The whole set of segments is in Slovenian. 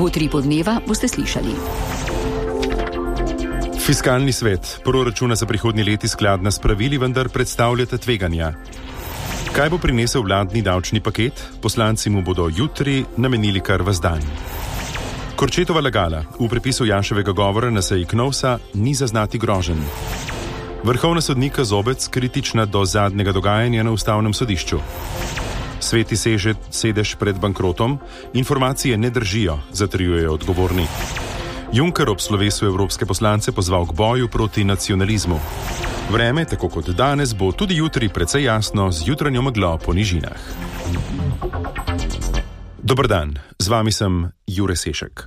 V Utripu dneva boste slišali. Fiskalni svet. Proračuna za prihodnji leti skladna s pravili, vendar predstavljata tveganja. Kaj bo prinesel vladni davčni paket? Poslanci mu bodo jutri namenili kar ves dan. Korčetova lagala. V prepisu Janševega govora na seji KNOVS-a ni zaznati groženj. Vrhovna sodnika Zobec kritična do zadnjega dogajanja na ustavnem sodišču. Sveti sedež pred bankrotom. Informacije ne držijo, zatrjujejo odgovorni. Juncker ob slovesu evropske poslance pozval k boju proti nacionalizmu. Vreme, tako kot danes, bo tudi jutri precej jasno z jutranjo meglo po nižinah. Dober dan, z vami sem Jure Sešek.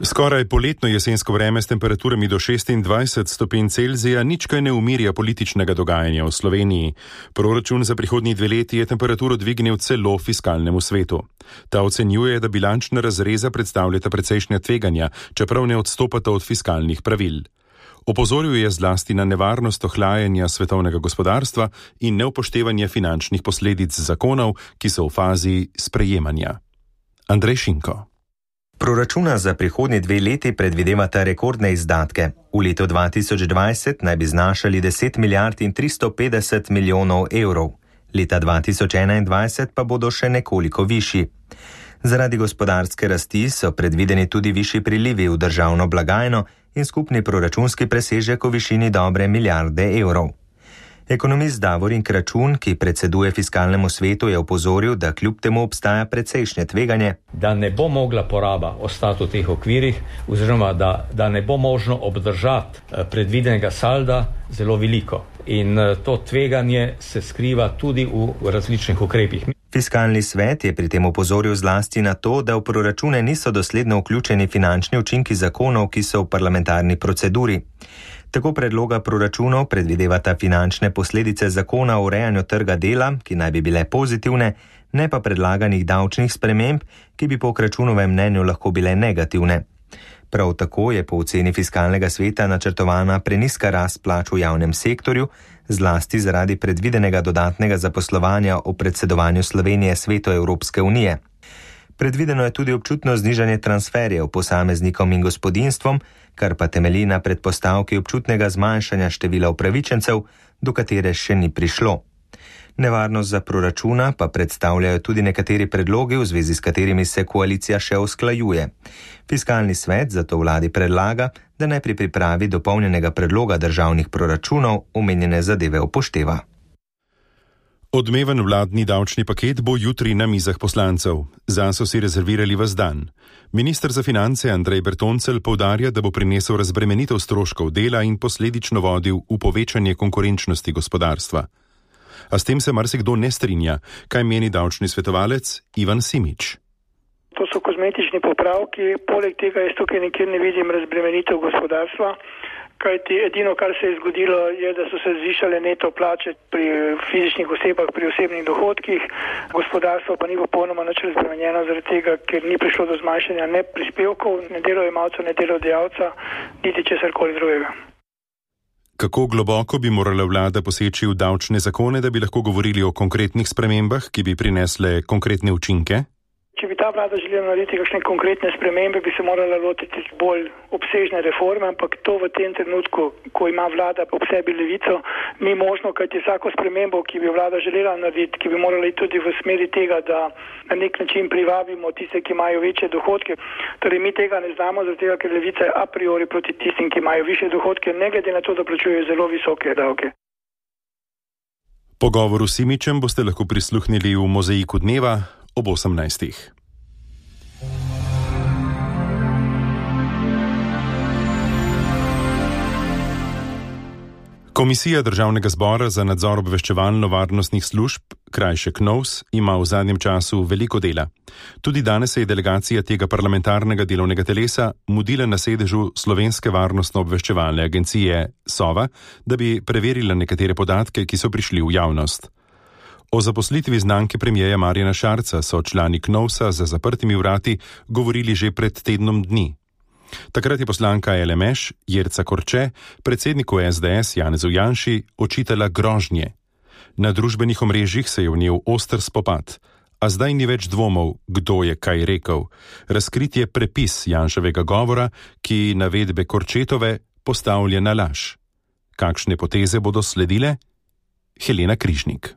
Skoraj poletno jesensko vreme s temperaturami do 26 stopinj Celzija nič kaj ne umirja političnega dogajanja v Sloveniji. Proračun za prihodnji 2 leti je temperaturo dvignil celo fiskalnemu svetu. Ta ocenjuje, da bilančna razreza predstavljata precejšnja tveganja, čeprav ne odstopata od fiskalnih pravil. Opozoril je zlasti na nevarnost ohlajanja svetovnega gospodarstva in neupoštevanje finančnih posledic zakonov, ki so v fazi sprejemanja. Andrej Šinko. Proračuna za prihodnji 2 leti predvidevata rekordne izdatke. V letu 2020 naj bi znašali 10 milijard in 350 milijonov evrov. Leta 2021 pa bodo še nekoliko višji. Zaradi gospodarske rasti so predvideni tudi višji prilivi v državno blagajno in skupni proračunski presežek v višini dobre milijarde evrov. Ekonomist Davorin Kračun, ki predseduje fiskalnemu svetu, je opozoril, da kljub temu obstaja precejšnje tveganje, da ne bo mogla poraba ostati v teh okvirih, oziroma da ne bo možno obdržati predvidenega salda zelo veliko. In to tveganje se skriva tudi v različnih ukrepih. Fiskalni svet je pri tem opozoril zlasti na to, da v proračune niso dosledno vključeni finančni učinki zakonov, ki so v parlamentarni proceduri. Tako predloga proračunov predvidevata finančne posledice zakona o urejanju trga dela, ki naj bi bile pozitivne, ne pa predlaganih davčnih sprememb, ki bi po Kračunovem mnenju lahko bile negativne. Prav tako je po oceni fiskalnega sveta načrtovana prenizka rast plač v javnem sektorju, zlasti zaradi predvidenega dodatnega zaposlovanja o predsedovanju Slovenije Svetu Evropske unije. Predvideno je tudi občutno znižanje transferjev posameznikom in gospodinjstvom, kar pa temelji na predpostavki občutnega zmanjšanja števila upravičencev, do katere še ni prišlo. Nevarnost za proračuna pa predstavljajo tudi nekateri predlogi, v zvezi s katerimi se koalicija še usklajuje. Fiskalni svet zato vladi predlaga, da naj pri pripravi dopolnjenega predloga državnih proračunov omenjene zadeve upošteva. Odmeven vladni davčni paket bo jutri na mizah poslancev. Zanj so si rezervirali ves dan. Minister za finance Andrej Bertoncelj poudarja, da bo prinesel razbremenitev stroškov dela in posledično vodil v povečanje konkurenčnosti gospodarstva. A s tem se marsikdo ne strinja. Kaj meni davčni svetovalec Ivan Simič? To so kozmetični popravki, poleg tega jaz tukaj nikjer ne vidim razbremenitev gospodarstva. Kajti edino, kar se je zgodilo, je, da so se zvišale neto plače pri fizičnih osebah, pri osebnih dohodkih. Gospodarstvo pa ni popolnoma nič razbremenjeno zaradi tega, ker ni prišlo do zmanjšanja ne prispevkov, ne delojemalcev, ne delodajalca, niti česarkoli drugega. Kako globoko bi morala vlada poseči v davčne zakone, da bi lahko govorili o konkretnih spremembah, ki bi prinesle konkretne učinke? Če bi ta vlada želela narediti kakšne konkretne spremembe, bi se morala lotiti bolj obsežne reforme, ampak to v tem trenutku, ko ima vlada ob sebi levico, ni možno, kajti vsako spremembo, ki bi vlada želela narediti, ki bi morala iti tudi v smeri tega, da na nek način privabimo tiste, ki imajo večje dohodke. Torej mi tega ne znamo, zaradi tega, ker levica je a priori proti tistim, ki imajo više dohodke, ne glede na to, da plačujejo zelo visoke davke. Pogovoru s Simičem boste lahko prisluhnili v Mozaiku dneva ob 18. Komisija Državnega zbora za nadzor obveščevalno-varnostnih služb, krajše KNOVS, ima v zadnjem času veliko dela. Tudi danes se je delegacija tega parlamentarnega delovnega telesa mudila na sedežu Slovenske varnostno-obveščevalne agencije SOVA, da bi preverila nekatere podatke, ki so prišli v javnost. O zaposlitvi znanke premierja Marjana Šarca so člani KNOVS-a za zaprtimi vrati govorili že pred tednom dni. Takrat je poslanka LMŠ Jerca Korče predsedniku SDS Janezu Janši očitala grožnje. Na družbenih omrežjih se je vnel oster spopad, a zdaj ni več dvomov, kdo je kaj rekel. Razkrit je prepis Janševega govora, ki navedbe Korčetove postavlja na laž. Kakšne poteze bodo sledile? Helena Križnik.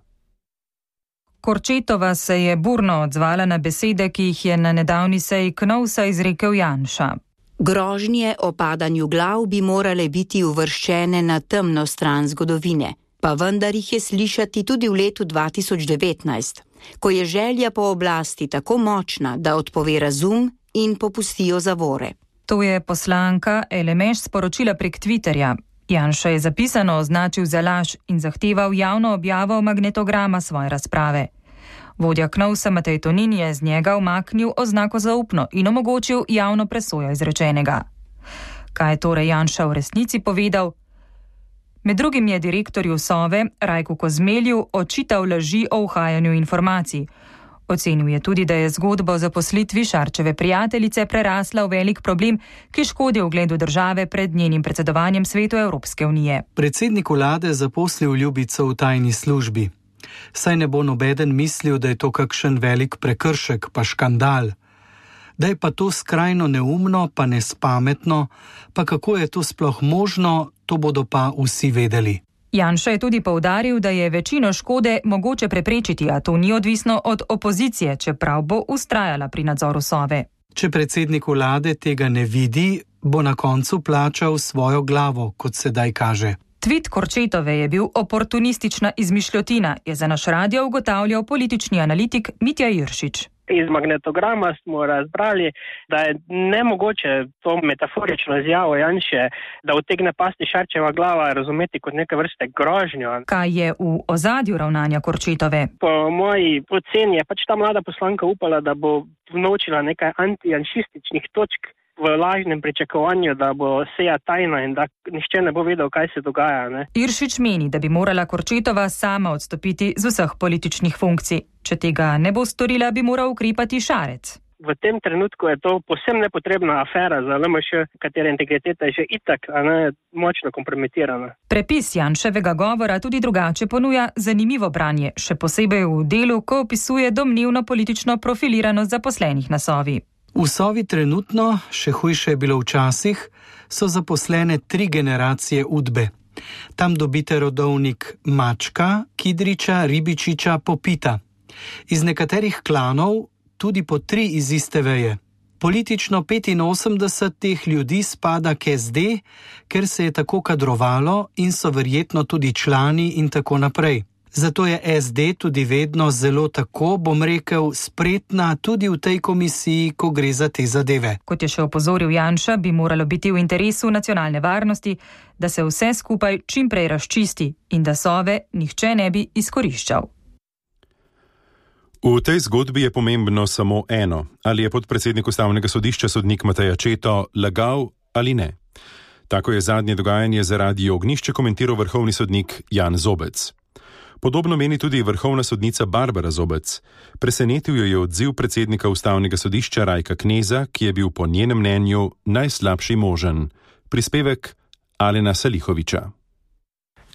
Korčetova se je burno odzvala na besede, ki jih je na nedavni seji KNOVS-a izrekel Janša. Grožnje o padanju glav bi morale biti uvrščene na temno stran zgodovine, pa vendar jih je slišati tudi v letu 2019, ko je želja po oblasti tako močna, da odpove razum in popustijo zavore. To je poslanka LMŠ sporočila prek Twitterja. Janša je zapisano označil za laž in zahteval javno objavo magnetograma svoje razprave. Vodja KNOVS-a Matej Tonin je z njega umaknil oznako zaupno in omogočil javno presojo izrečenega. Kaj je torej Janša v resnici povedal? Med drugim je direktorju Sove Rajku Kozmelju očital laži o uhajanju informacij. Ocenil je tudi, da je zgodba o zaposlitvi Šarčeve prijateljice prerasla v velik problem, ki škodi ugledu države pred njenim predsedovanjem Svetu Evropske unije. Predsednik vlade zaposlil ljubico v tajni službi. Saj ne bo nobeden mislil, da je to kakšen velik prekršek, pa škandal. Da je pa to skrajno neumno, pa nespametno, pa kako je to sploh možno, to bodo pa vsi vedeli. Janša je tudi poudaril, da je večino škode mogoče preprečiti, a to ni odvisno od opozicije, čeprav bo vztrajala pri nadzoru Sove. Če predsednik vlade tega ne vidi, bo na koncu plačal svojo glavo, kot sedaj kaže. Tvit Korčetove je bil oportunistična izmišljotina, je za naš radio ugotavljal politični analitik Mitja Iršič. Iz magnetograma smo razbrali, da je nemogoče to metaforično izjavo Janše, da utegne pasti Šarčeva glava, razumeti kot neke vrste grožnjo. Kaj je v ozadju ravnanja Korčetove? Po moji oceni je ta mlada poslanka upala, da bo vnovčila nekaj antijanšističnih točk v lažnem pričakovanju, da bo seja tajna in da nihče ne bo vedel, kaj se dogaja. Ne? Iršič meni, da bi morala Korčetova sama odstopiti z vseh političnih funkcij. Če tega ne bo storila, bi moral ukrepati Šarec. V tem trenutku je to povsem nepotrebna afera za LMŠ, katere integriteta je že itak močno kompromitirana. Prepis Janševega govora tudi drugače ponuja zanimivo branje, še posebej v delu, ko opisuje domnevno politično profiliranost zaposlenih na Sovi. V Sovi trenutno, še hujše je bilo včasih, so zaposlene 3 generacije Udbe. Tam dobite rodovnik Mačka, Kidriča, Ribičiča, Popita. Iz nekaterih klanov tudi po 3 iz iste veje. Politično 85 teh ljudi spada k SD, ker se je tako kadrovalo in so verjetno tudi člani in tako naprej. Zato je SD tudi vedno zelo tako, bom rekel, spretna tudi v tej komisiji, ko gre za te zadeve. Kot je še opozoril Janša, bi moralo biti v interesu nacionalne varnosti, da se vse skupaj čim prej razčisti in da Sove nihče ne bi izkoriščal. V tej zgodbi je pomembno samo eno, ali je podpredsednik Ustavnega sodišča sodnik Matej Accetto lagal ali ne. Tako je zadnje dogajanje za Radio Ognjišče komentiral vrhovni sodnik Jan Zobec. Podobno meni tudi vrhovna sodnica Barbara Zobec. Presenetil jo je odziv predsednika Ustavnega sodišča Rajka Kneza, ki je bil po njenem mnenju najslabši možen. Prispevek Alena Salihoviča.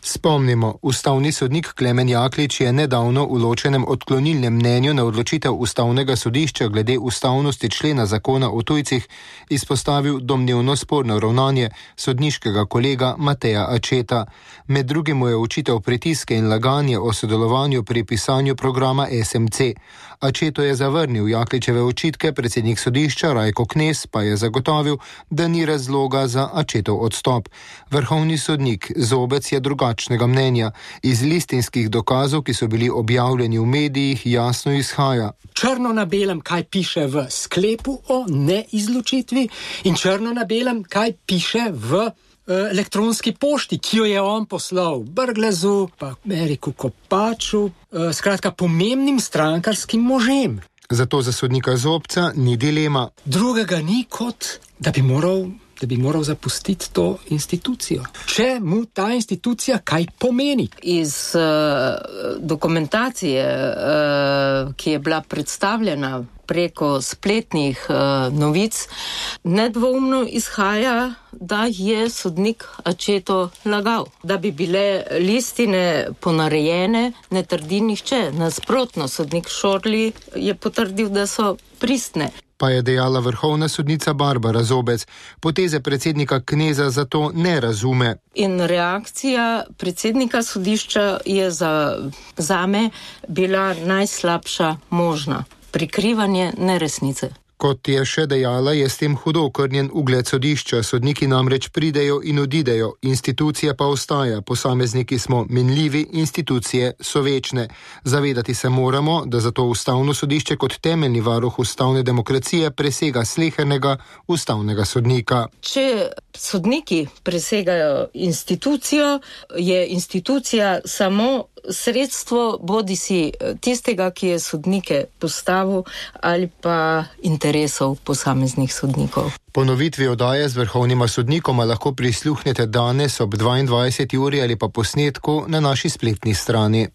Spomnimo, ustavni sodnik Klemen Jaklič je nedavno v ločenem odklonilnem mnenju na odločitev Ustavnega sodišča glede ustavnosti člena zakona o tujcih izpostavil domnevno sporno ravnanje sodniškega kolega Mateja Accetta. Med drugim mu je očital pritiske in laganje o sodelovanju pri pisanju programa SMC. Accetto je zavrnil Jakličeve očitke, predsednik sodišča Rajko Knez pa je zagotovil, da ni razloga za Accettov odstop. Vrhovni sodnik Zobec je drugačnega mnenja. Iz listinskih dokazov, ki so bili objavljeni v medijih, jasno izhaja. Črno na belem, kaj piše v sklepu o neizločitvi in črno na belem, kaj piše v elektronski pošti, ki jo je on poslal Brglezu, pa Eriku Kopaču, skratka pomembnim strankarskim možem. Zato za sodnika Zobca ni dilema. Drugega ni kot, da bi moral da bi moral zapustiti to institucijo. Če mu ta institucija kaj pomeni? Iz dokumentacije, ki je bila predstavljena preko spletnih novic, nedvoumno izhaja, da je sodnik Accetto lagal. Da bi bile listine ponarejene, ne trdi nihče. Nasprotno, sodnik Šorli je potrdil, da so pristne. Pa je dejala vrhovna sodnica Barbara Zobec. Poteze predsednika Kneza zato ne razume. In reakcija predsednika sodišča je zame bila najslabša možna. Prikrivanje neresnice. Kot je še dejala, je s tem hudo okrnjen ugled sodišča. Sodniki namreč pridejo in odidejo, institucija pa ostaja. Posamezniki smo minljivi, institucije so večne. Zavedati se moramo, da zato ustavno sodišče kot temeljni varuh ustavne demokracije presega slehernega ustavnega sodnika. Če sodniki presegajo institucijo, je institucija samo sredstvo bodisi tistega, ki je sodnike postavil, ali pa interesov posameznih sodnikov. Ponovitvi oddaje z vrhovnima sodnikoma lahko prisluhnete danes ob 22. uri ali pa posnetku na naši spletni strani.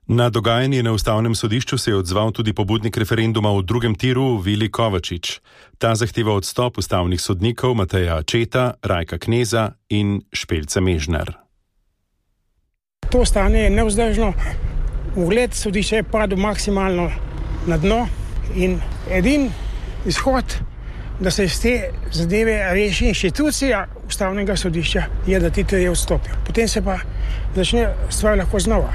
Na dogajanje na ustavnem sodišču se je odzval tudi pobudnik referenduma v drugem tiru Vili Kovačič. Ta zahteva odstop ustavnih sodnikov Mateja Accetta, Rajka Kneza in Špelca Mežnar. To stanje je nevzdržno, ugled sodišča je padel maksimalno na dno in edini izhod, da se iz te zadeve reši inštitucija ustavnega sodišča, je, da ti trije odstopijo. Potem se pa začne stvar lahko znova.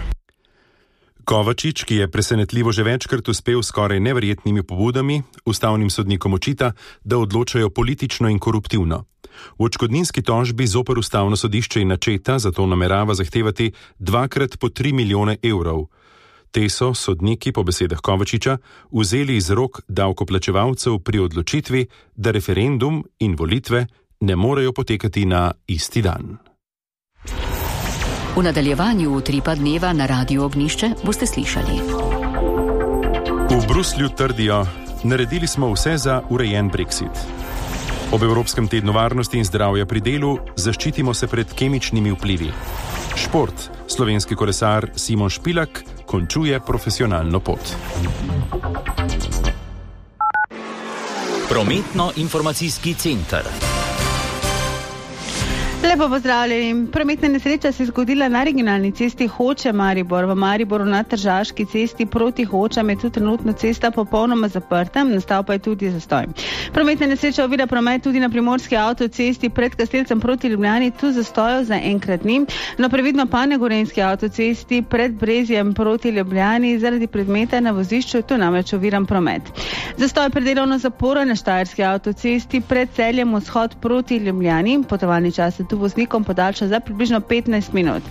Kovačič, ki je presenetljivo že večkrat uspel skoraj neverjetnimi pobudami, ustavnim sodnikom očita, da odločajo politično in koruptivno. V odškodninski tožbi zoper ustavno sodišče in Accetta zato namerava zahtevati 2x po 3 milijone evrov. Te so sodniki, po besedah Kovačiča, vzeli iz rok davkoplačevalcev pri odločitvi, da referendum in volitve ne morejo potekati na isti dan. V nadaljevanju utripa dneva na Radiu Ognjišče boste slišali. V Bruslju trdijo, naredili smo vse za urejen Brexit. Ob Evropskem tednu varnosti in zdravja pri delu zaščitimo se pred kemičnimi vplivi. Šport. Slovenski kolesar Simon Špilak končuje profesionalno pot. Prometno-informacijski center. Lepo pozdravljeni. Prometna nesreča se je zgodila na regionalni cesti Hoče-Maribor. V Mariboru na Tržaški cesti proti Hočam je tudi trenutno cesta popolnoma zaprta, nastal pa je tudi zastoj. Prometna nesreča ovira promet tudi na primorski avtocesti pred Kastelcem proti Ljubljani, tu zastojev za enkrat ni. No, previdno pa na gorenjski avtocesti pred Brezjem proti Ljubljani zaradi predmeta na vozišču, tu namreč oviran promet. Zastoj pred delovno zaporo na Štajerski avtocesti pred Celjem vzhod proti Ljubljani, potovalni čas tu voznikom podaljša za približno 15 minut.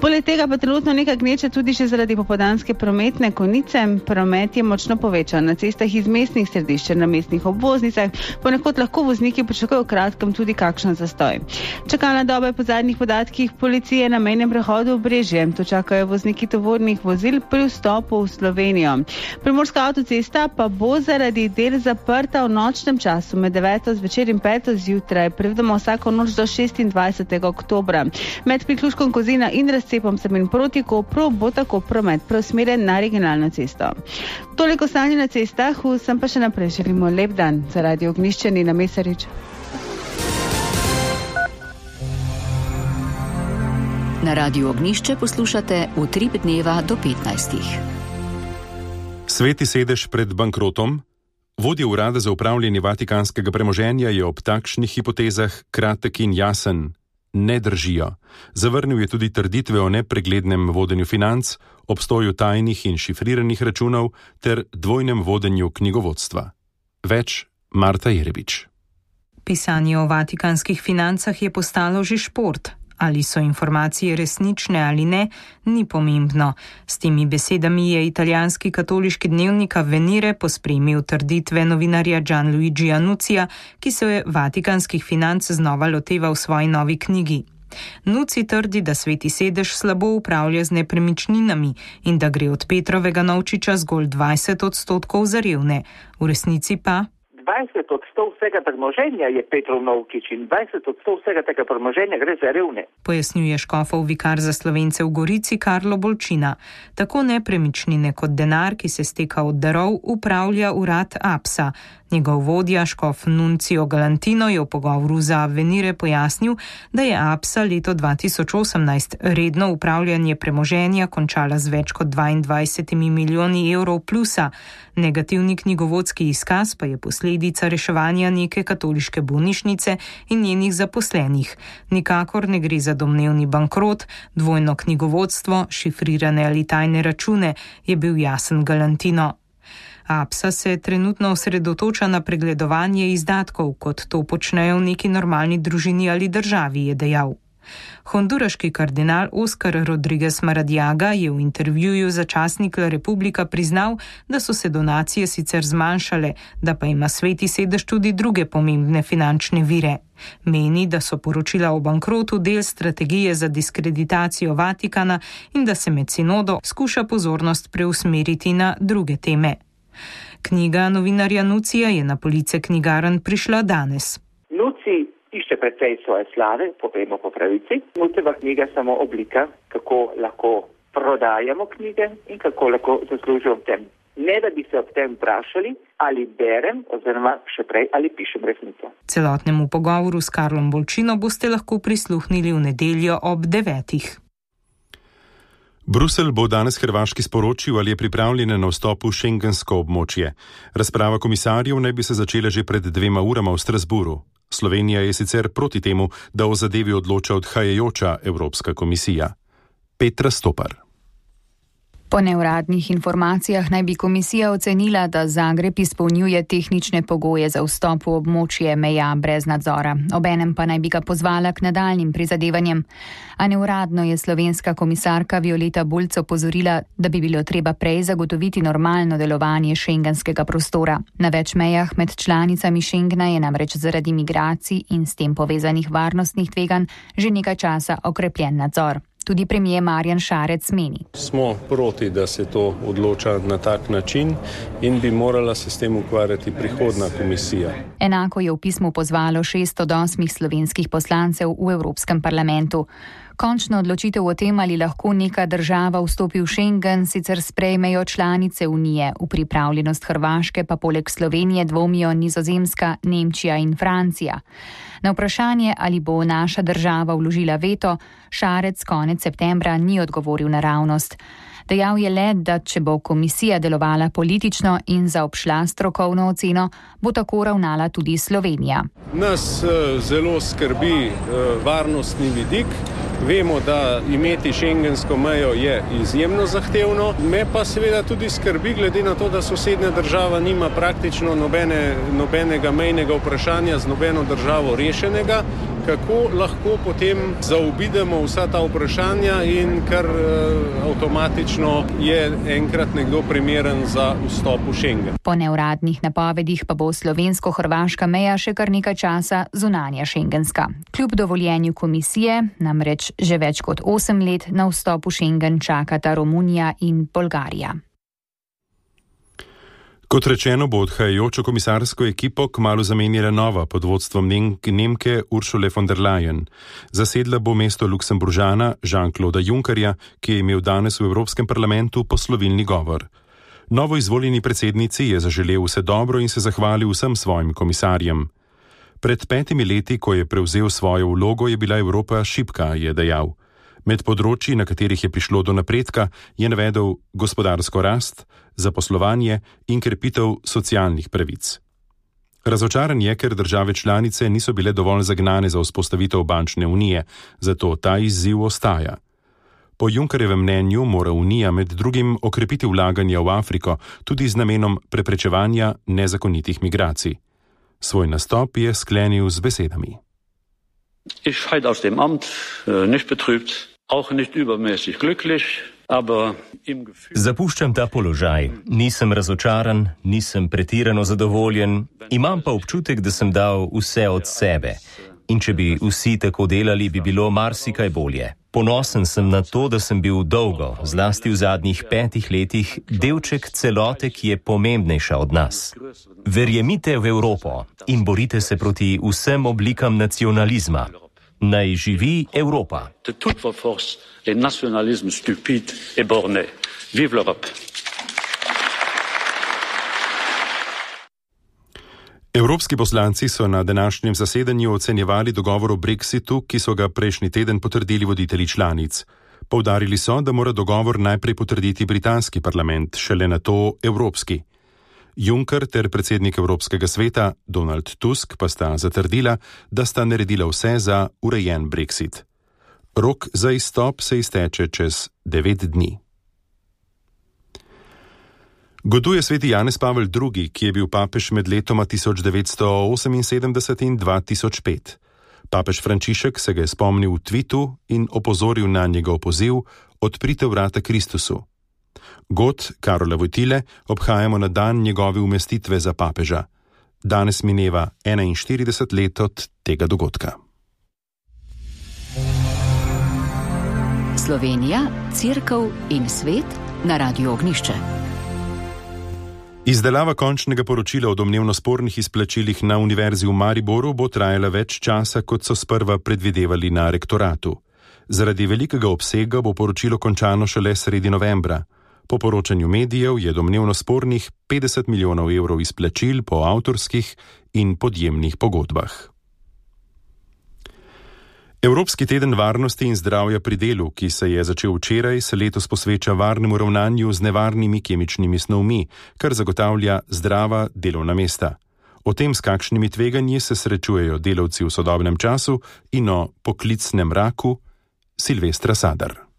Poleg tega pa trenutno nekaj gneče tudi še zaradi popoldanske prometne konice. Promet je močno povečan na cestah iz mestnih središč, na mestnih obvoznicah, ponekod lahko vozniki pričakujejo v kratkem tudi kakšen zastoj. Čakalna doba je po zadnjih podatkih policije na mejnem prehodu v Brežje. Tu čakajo vozniki tovornih vozil pri vstopu v Slovenijo. Primorska avtocesta pa bo zaradi del zaprta v nočnem času med 9. zvečer in 5. zjutraj, prevedemo vsako noč do 26. oktobra. Med priključkom Kozina in razcepom Savinj proti Kopru bo tako promet preusmerjen na regionalno cesto. Toliko stanje na cestah, vsem pa še naprej želimo lep dan. Za Radio Ognjišče Nina Mesarič. Na Radiu Ognjišče poslušate Utrip dneva do 15. Sveti sedež pred bankrotom. Vodja urada za upravljanje vatikanskega premoženja je ob takšnih hipotezah kratek in jasen. Ne držijo. Zavrnil je tudi trditve o nepreglednem vodenju financ, obstoju tajnih in šifriranih računov ter dvojnem vodenju knjigovodstva. Več Marta Jerebič. Pisanje o vatikanskih financah je postalo že šport. Ali so informacije resnične ali ne, ni pomembno. S temi besedami je italijanski katoliški dnevnik Avvenire pospremil trditve novinarja Gianluigi Anucija, ki se je vatikanskih financ znova loteval v svoji novi knjigi. Nuci trdi, da sveti sedež slabo upravlja z nepremičninami in da gre od Petrovega novčiča zgolj 20% za revne. V resnici pa 20% vsega premoženja je Petrov Novkič in 20% vsega tega premoženja gre za revne. Pojasnjuje škofov vikar za Slovence v Gorici Karlo Bolčina. Tako nepremičnine kot denar, ki se steka od darov, upravlja urad APSA. Njegov vodja, škof Nuncio Galantino, je v pogovoru za Avenire pojasnil, da je APSA leto 2018 redno upravljanje premoženja končala z več kot 22 milijoni evrov plusa. Negativni knjigovodski izkaz pa je posledica reševanja neke katoliške bolnišnice in njenih zaposlenih. Nikakor ne gre za domnevni bankrot, dvojno knjigovodstvo, šifrirane ali tajne račune, je bil jasen Galantino. APSA se trenutno osredotoča na pregledovanje izdatkov, kot to počnejo v neki normalni družini ali državi, je dejal. Honduraški kardinal Oscar Rodriguez Maradiaga je v intervjuju za časnik La Republika priznal, da so se donacije sicer zmanjšale, da pa ima Sveti sedež tudi druge pomembne finančne vire. Meni, da so poročila o bankrotu del strategije za diskreditacijo Vatikana in da se med sinodo skuša pozornost preusmeriti na druge teme. Knjiga novinarja Nucija je na police knjigarn prišla danes. Nuci išče precej svoje slave, povemo po pravici. Nuceva knjiga je samo oblika, kako lahko prodajamo knjige in kako lahko zaslužimo v tem. Ne da bi se ob tem vprašali, ali berem, oziroma še prej, ali pišem resnico. Celotnemu pogovoru s Karlom Bolčino boste lahko prisluhnili v nedeljo ob 9. Bruselj bo danes Hrvaški sporočil, ali je pripravljena na vstop v šengensko območje. Razprava komisarjev naj bi se začela že pred 2 urama v Strasburu. Slovenija je sicer proti temu, da o zadevi odloča odhajajoča Evropska komisija. Petra Stopar. Po neuradnih informacijah naj bi komisija ocenila, da Zagreb izpolnjuje tehnične pogoje za vstop v območje meja brez nadzora. Obenem pa naj bi ga pozvala k nadaljnjim prizadevanjem. A neuradno je slovenska komisarka Violeta Bulc opozorila, da bi bilo treba prej zagotoviti normalno delovanje šengenskega prostora. Na več mejah med članicami Schengena je namreč zaradi migracij in s tem povezanih varnostnih tveganj že nekaj časa okrepljen nadzor. Tudi premijer Marjan Šarec meni. Smo proti, da se to odloča na tak način in bi morala se s tem ukvarjati prihodna komisija. Enako je v pismu pozvalo 6 od 8 slovenskih poslancev v Evropskem parlamentu. Končno odločitev o tem, ali lahko neka država vstopi v Schengen, sicer sprejmejo članice Unije. V pripravljenost Hrvaške pa poleg Slovenije dvomijo Nizozemska, Nemčija in Francija. Na vprašanje, ali bo naša država vložila veto, Šarec konec septembra ni odgovoril naravnost. Dejal je le, da če bo komisija delovala politično in zaobšla strokovno oceno, bo tako ravnala tudi Slovenija. Nas zelo skrbi varnostni vidik. Vemo, da imeti šengensko mejo je izjemno zahtevno. Me pa seveda tudi skrbi glede na to, da sosednja država nima praktično nobenega mejnega vprašanja z nobeno državo rešenega. Kako lahko potem zaobidemo vsa ta vprašanja in kar avtomatično je enkrat nekdo primeren za vstop v Schengen. Po neuradnih napovedih pa bo slovensko-hrvaška meja še kar nekaj časa zunanja šengenska. Kljub dovoljenju komisije namreč že več kot 8 let na vstop v Schengen čakata Romunija in Bolgarija. Kot rečeno, bo odhajajočo komisarsko ekipo kmalu zamenjala nova pod vodstvom Nemke Ursule von der Leyen. Zasedla bo mesto Luksemburžana Jean-Clauda Junckerja, ki je imel danes v Evropskem parlamentu poslovilni govor. Novo izvoljeni predsednici je zaželel vse dobro in se zahvalil vsem svojim komisarjem. Pred 5 leti, ko je prevzel svojo vlogo, je bila Evropa šibka, je dejal. Med področji, na katerih je prišlo do napredka, je navedel gospodarsko rast, zaposlovanje in krepitev socialnih pravic. Razočaran je, ker države članice niso bile dovolj zagnane za vzpostavitev bančne unije, zato ta izziv ostaja. Po Junckerjevem mnenju mora Unija med drugim okrepiti vlaganja v Afriko, tudi z namenom preprečevanja nezakonitih migracij. Svoj nastop je sklenil z besedami. Ich scheide aus dem Amt nicht betrübt, auch nicht übermäßig glücklich, aber im Gefühl. Zapuščam ta položaj. Nisem razočaran, nisem pretirano zadovoljen, imam pa občutek, da sem dal vse od sebe. In če bi vsi tako delali, bi bilo marsikaj bolje. Ponosen sem na to, da sem bil dolgo, zlasti v zadnjih 5 letih, delček celote, ki je pomembnejša od nas. Verjemite v Evropo in borite se proti vsem oblikam nacionalizma. Naj živi Evropa. Evropski poslanci so na današnjem zasedanju ocenjevali dogovor o Brexitu, ki so ga prejšnji teden potrdili voditelji članic. Poudarili so, da mora dogovor najprej potrditi britanski parlament, šele nato evropski. Juncker ter predsednik Evropskega sveta Donald Tusk pa sta zatrdila, da sta naredila vse za urejen Brexit. Rok za izstop se izteče čez 9 dni. Goduje sveti Janez Pavel II., ki je bil papež med letoma 1978 in 2005. Papež Frančišek se ga je spomnil v tvitu in opozoril na njegov poziv Odprite vrata Kristusu. God Karola Wojtyle obhajamo na dan njegove umestitve za papeža. Danes mineva 41 let od tega dogodka. Slovenija, Cerkev in svet na Radiu Ognišče. Izdelava končnega poročila o domnevno spornih izplačilih na Univerzi v Mariboru bo trajala več časa, kot so sprva predvidevali na rektoratu. Zaradi velikega obsega bo poročilo končano šele sredi novembra. Po poročanju medijev je domnevno spornih 50 milijonov evrov izplačil po avtorskih in podjemnih pogodbah. Evropski teden varnosti in zdravja pri delu, ki se je začel včeraj, se letos posveča varnemu ravnanju z nevarnimi kemičnimi snovmi, kar zagotavlja zdrava delovna mesta. O tem, s kakšnimi tveganji se srečujejo delavci v sodobnem času in o poklicnem raku, Silvestra Sadar.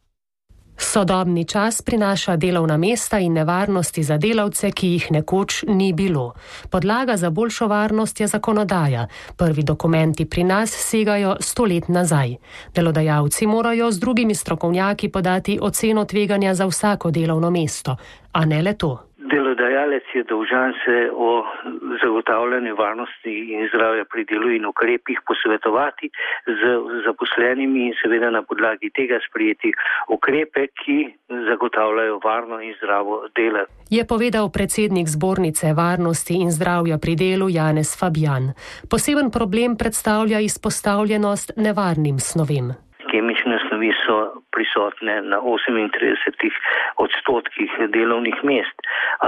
Sodobni čas prinaša delovna mesta in nevarnosti za delavce, ki jih nekoč ni bilo. Podlaga za boljšo varnost je zakonodaja. Prvi dokumenti pri nas segajo 100 let nazaj. Delodajalci morajo z drugimi strokovnjaki podati oceno tveganja za vsako delovno mesto, a ne le to. Delodajalec je dolžan se o zagotavljanju varnosti in zdravja pri delu in ukrepih posvetovati z zaposlenimi in seveda na podlagi tega sprejeti ukrepe, ki zagotavljajo varno in zdravo delo. Je povedal predsednik Zbornice varnosti in zdravja pri delu Janez Fabijan. Poseben problem predstavlja izpostavljenost nevarnim snovem. Kemične snovi so prisotne na 38% delovnih mest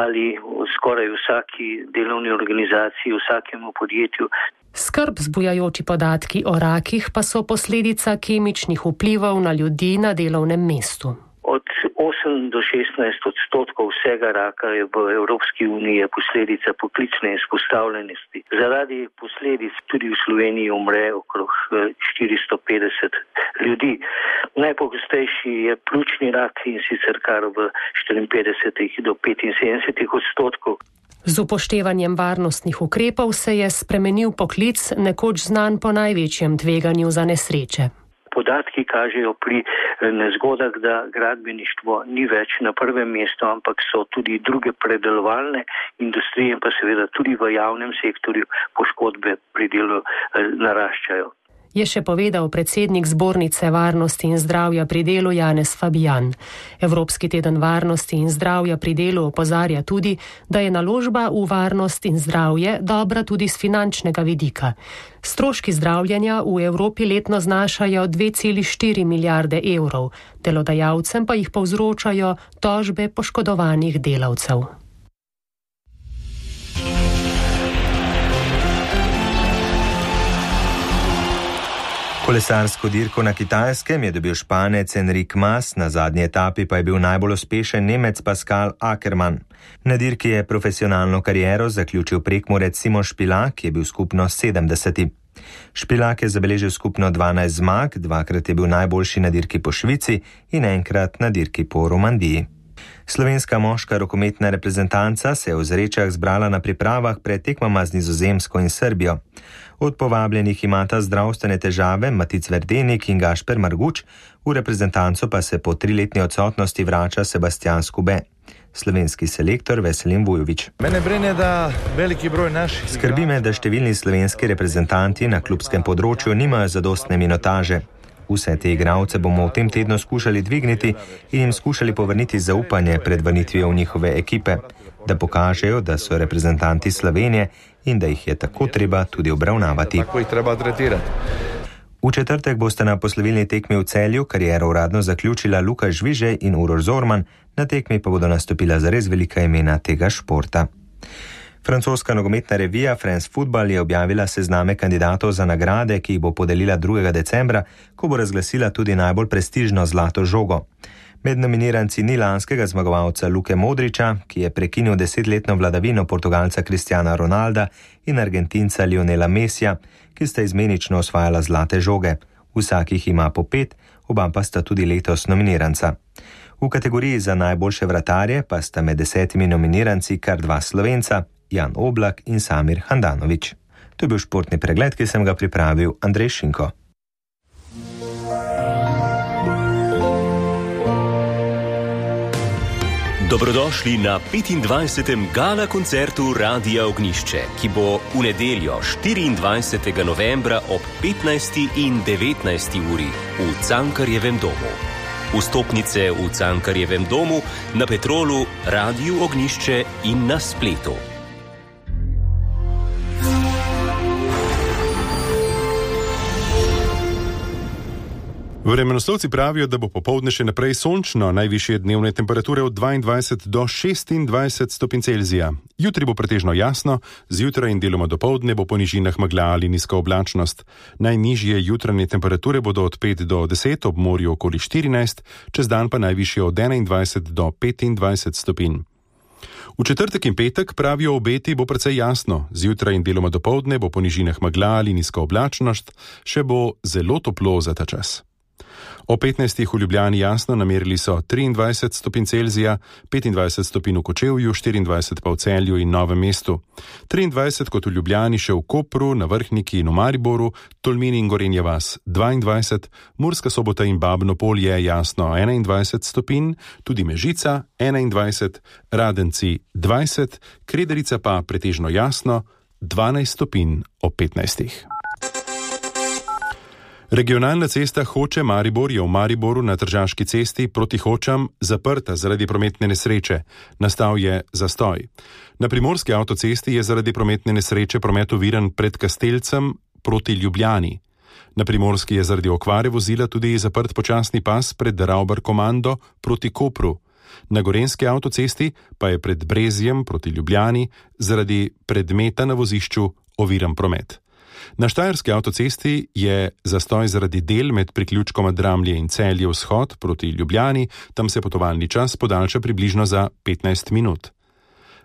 ali v skoraj vsaki delovni organizaciji, vsakemu podjetju. Skrb vzbujajoči podatki o rakih pa so posledica kemičnih vplivov na ljudi na delovnem mestu. Od 8 do 16% vsega raka je v Evropski uniji posledica poklicne izpostavljenosti. Zaradi posledic tudi v Sloveniji umre okrog 450 ljudi. Najpogostejši je pljučni rak in sicer kar v 54 do 75%. Z upoštevanjem varnostnih ukrepov se je spremenil poklic, nekoč znan po največjem tveganju za nesreče. Podatki kažejo pri nezgodah, da gradbeništvo ni več na prvem mestu, ampak so tudi druge predelovalne industrije, pa seveda tudi v javnem sektorju poškodbe pri delu naraščajo. Je še povedal predsednik Zbornice varnosti in zdravja pri delu Janez Fabijan. Evropski teden varnosti in zdravja pri delu opozarja tudi, da je naložba v varnost in zdravje dobra tudi z finančnega vidika. Stroški zdravljenja v Evropi letno znašajo 2,4 milijarde evrov, delodajalcem pa jih povzročajo tožbe poškodovanih delavcev. Kolesarsko dirko na Kitajskem je dobil Španec Enric Mas, na zadnji etapi pa je bil najbolj uspešen Nemec Pascal Ackermann. Na dirki je profesionalno kariero zaključil Prekmurec Simon Špilak, ki je bil skupno 70. Špilak je zabeležil skupno 12 zmag, dvakrat je bil najboljši na dirki po Švici in enkrat na dirki po Romandiji. Slovenska moška rokometna reprezentanca se je v Zrečah zbrala na pripravah pred tekmama z Nizozemsko in Srbijo. Od povabljenih imata zdravstvene težave Matic Verdenik in Gašper Marguč, v reprezentanco pa se po 3-letni odsotnosti vrača Sebastian Skube. Slovenski selektor Veselin Vujović. Skrbi me, da številni slovenski reprezentanti na klubskem področju nimajo zadostne minotaže. Vse te igralce bomo v tem tednu skušali dvigniti in jim skušali povrniti zaupanje pred vrnitvijo v njihove ekipe, da pokažejo, da so reprezentanti Slovenije in da jih je tako treba tudi obravnavati. Tako jih treba tretirati. V četrtek boste na poslovilni tekmi v Celju kariero uradno zaključila Luka Žvižej in Uroš Zorman, na tekmi pa bodo nastopila zares velika imena tega športa. Francoska nogometna revija France Football je objavila sezname kandidatov za nagrade, ki jih bo podelila 2. decembra, ko bo razglasila tudi najbolj prestižno zlato žogo. Med nominiranci ni lanskega zmagovalca Luke Modriča, ki je prekinil 10-letno vladavino Portugalca Cristiana Ronalda in Argentinca Lionela Messija, ki sta izmenično osvajala zlate žoge. Vsakih ima po 5, oba pa sta tudi letos nominiranca. V kategoriji za najboljše vratarje pa sta med 10 nominiranci kar 2 Slovenca, Jan Oblak in Samir Handanović. To je bil športni pregled, ki sem ga pripravil Andrej Šinko. Dobrodošli na 25. gala koncertu Radia Ognišče, ki bo v nedeljo 24. novembra ob 15. in 19. uri v Cankarjevem domu. Vstopnice v Cankarjevem domu, na Petrolu, Radiu Ognišče in na spletu. Vremenoslovci pravijo, da bo popoldne še naprej sončno, najvišje dnevne temperature od 22 do 26 stopinj Celzija. Jutri bo pretežno jasno, zjutraj in deloma dopoldne bo po nižinah megla ali nizka oblačnost. Najnižje jutranje temperature bodo od 5 do 10, ob morju okoli 14, čez dan pa najvišje od 21 do 25 stopinj. V četrtek in petek, pravijo obeti, bo precej jasno, zjutraj in deloma dopoldne bo po nižinah megla ali nizka oblačnost, še bo zelo toplo za ta čas. O 15. v Ljubljani jasno namerili so 23 stopinj Celzija, 25 stopinj v Kočevju, 24 pa v Celju in Novem mestu. 23 kot v Ljubljani, še v Kopru, na Vrhniki in v Mariboru, Tolmini in Gorenja vas 22, Murska Sobota in Babno Polje jasno 21 stopinj, tudi Mežica 21, Radenci 20, Krederica pa pretežno jasno 12 stopinj ob 15. Regionalna cesta Hoče-Maribor je v Mariboru na Tržaški cesti proti Hočam zaprta zaradi prometne nesreče. Nastal je zastoj. Na Primorski avtocesti je zaradi prometne nesreče promet oviran pred Kastelcem proti Ljubljani. Na Primorski je zaradi okvare vozila tudi zaprt počasni pas pred Rauber Komando proti Kopru. Na Gorenjski avtocesti pa je pred Brezjem proti Ljubljani zaradi predmeta na vozišču oviran promet. Na Štajerski avtocesti je zastoj zaradi del med priključkoma Dramlje in Celje vzhod proti Ljubljani, tam se potovalni čas podaljša približno za 15 minut.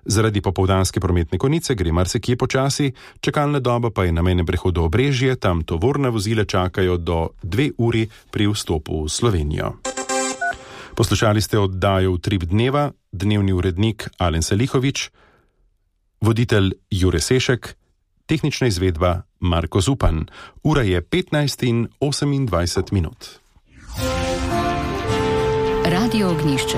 Zaradi popoldanske prometne konice gre marsikje počasi, čakalna doba pa je na mejnem prehodu Obrežje, tam tovorna vozila čakajo do 2 uri pri vstopu v Slovenijo. Poslušali ste oddajo Utrip dneva, dnevni urednik Alen Salihović, voditelj Jure Sešek, tehnična izvedba Marko Zupan. Ura je 15 in 28 minut. Radio Ognišče.